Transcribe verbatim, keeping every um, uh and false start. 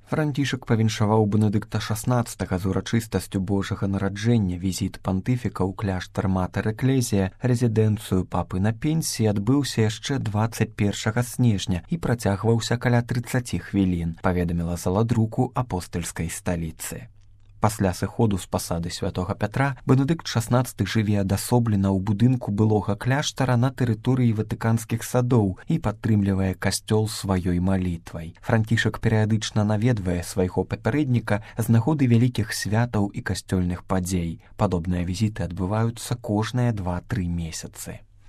Францішак павіншаваў Бенедыкта шаснаццатага з урачыстасцю Божага нараджэння. Візіт пантыфіка ў кляштар Матэр Эклезія, рэзідэнцыю папы на пенсіі, адбыўся яшчэ дваццаць першага снежня і працягваўся каля трыццаці хвілін, паведаміла заладруку апостальскай сталіцы. Пасля сыходу з пасады святога Пятра Бенедыкт шаснаццаты жыве адасоблена ў будынку былога кляштара на тэрыторыі ватыканскіх садоў і падтрымлівае касцёл сваёй малітвай. Францішак перыядычна наведвае свайго папярэдніка з нагоды вялікіх святаў і касцёльных падзей. Падобныя візіты адбываюцца кожныя два-тры месяцы.